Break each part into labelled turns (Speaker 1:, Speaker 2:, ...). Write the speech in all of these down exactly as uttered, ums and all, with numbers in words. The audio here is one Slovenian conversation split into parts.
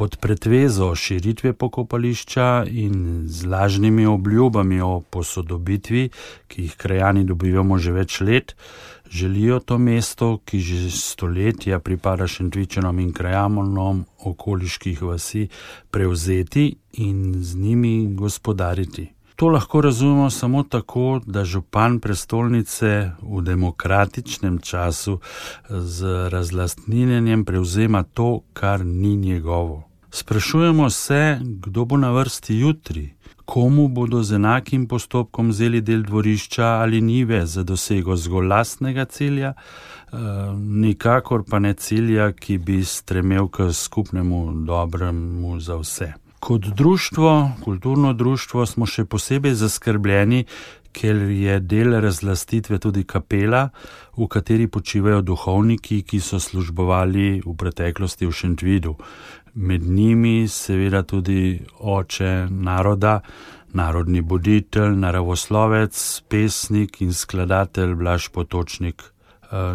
Speaker 1: Pod pretvezo širitve pokopališča in z lažnimi obljubami o posodobitvi, ki jih krajani dobivamo že več let, želijo to mesto, ki že stoletja pripada Šentvičanom in krajanom okoliških vasi, prevzeti in z njimi gospodariti. To lahko razumemo samo tako, da župan prestolnice v demokratičnem času z razlastninjenjem prevzema to, kar ni njegovo. Sprašujemo se, kdo bo na vrsti jutri, komu bodo z enakim postopkom vzeli del dvorišča ali njive za dosego zgolj lastnega cilja, nikakor pa ne cilja, ki bi stremel k skupnemu dobremu za vse. Kot društvo, kulturno društvo, smo še posebej zaskrbljeni, ker je del razlastitve tudi kapela, v kateri počivajo duhovniki, ki so službovali v preteklosti v Šentvidu. Med njimi seveda tudi oče naroda, narodni buditelj, naravoslovec, pesnik in skladatelj Blaž Potočnik.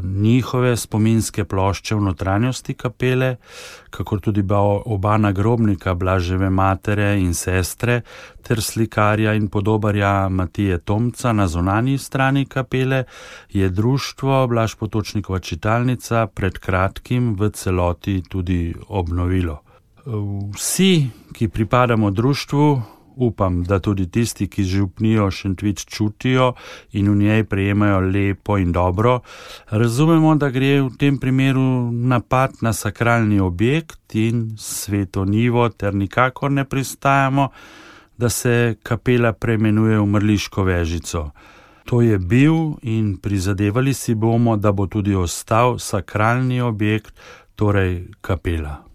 Speaker 1: Njihove spominske plošče v notranjosti kapele, kakor tudi oba nagrobnika Blaževe matere in sestre, ter slikarja in podobarja Matije Tomca na zunanji strani kapele, je društvo Blaž Potočnikova čitalnica pred kratkim v celoti tudi obnovilo. Vsi, ki pripadamo društvu, upam, da tudi tisti, ki župnijo Šentvid čutijo in v njej prejemajo lepo in dobro, razumemo, da gre v tem primeru napad na sakralni objekt in sveto njivo, ter nikakor ne pristajamo, da se kapela preimenuje v Mrliško vežico. To je bil in prizadevali si bomo, da bo tudi ostal sakralni objekt, torej kapela.